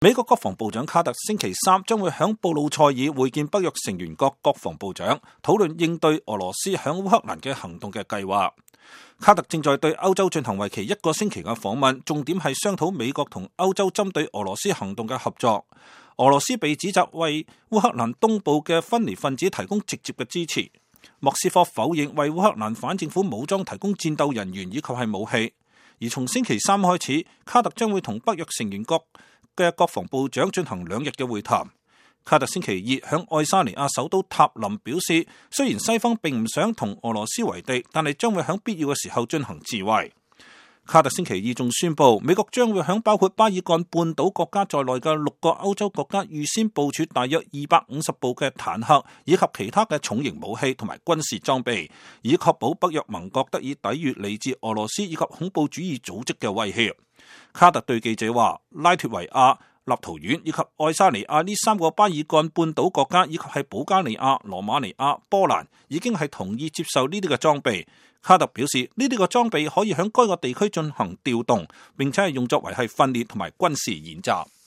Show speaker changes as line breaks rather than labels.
美國國防部長卡特星期三將會響布魯塞爾會見北約成員國國防部長，討論應對俄羅斯響烏克蘭嘅行動嘅計劃。卡特正在對歐洲進行為期1個星期嘅訪問，重點係商討美國同歐洲針對俄羅斯行動嘅合作。俄羅斯被指責為烏克蘭東部嘅分離分子提供直接嘅支持。莫斯科否認為烏克蘭反政府武裝提供戰鬥人員以及係武器。而從星期三開始，卡特將會同北約成員國嘅國防部長進行2日嘅會談。卡特星期二響愛沙尼亞首都塔林表示，雖然西方並唔想同俄羅斯為敵，但係將會響必要嘅時候進行自衛。卡特星期二仲宣布，美國將會響包括巴爾幹半島國家在內嘅6個歐洲國家預先部署大約250部嘅坦克，以及其他嘅重型武器同埋軍事裝備，以確保北約盟國得以抵禦嚟自俄羅斯以及恐怖主義組織嘅威脅。卡特對記者話，拉脫維亞、立陶宛以及愛沙尼亞呢3個巴爾幹半島國家以及係保加利亞、羅馬尼亞、波蘭已經係同意接受呢啲嘅裝備。卡特表示，呢啲嘅裝備可以響該個地區進行調動，並且係用作為係訓練同埋軍事演習。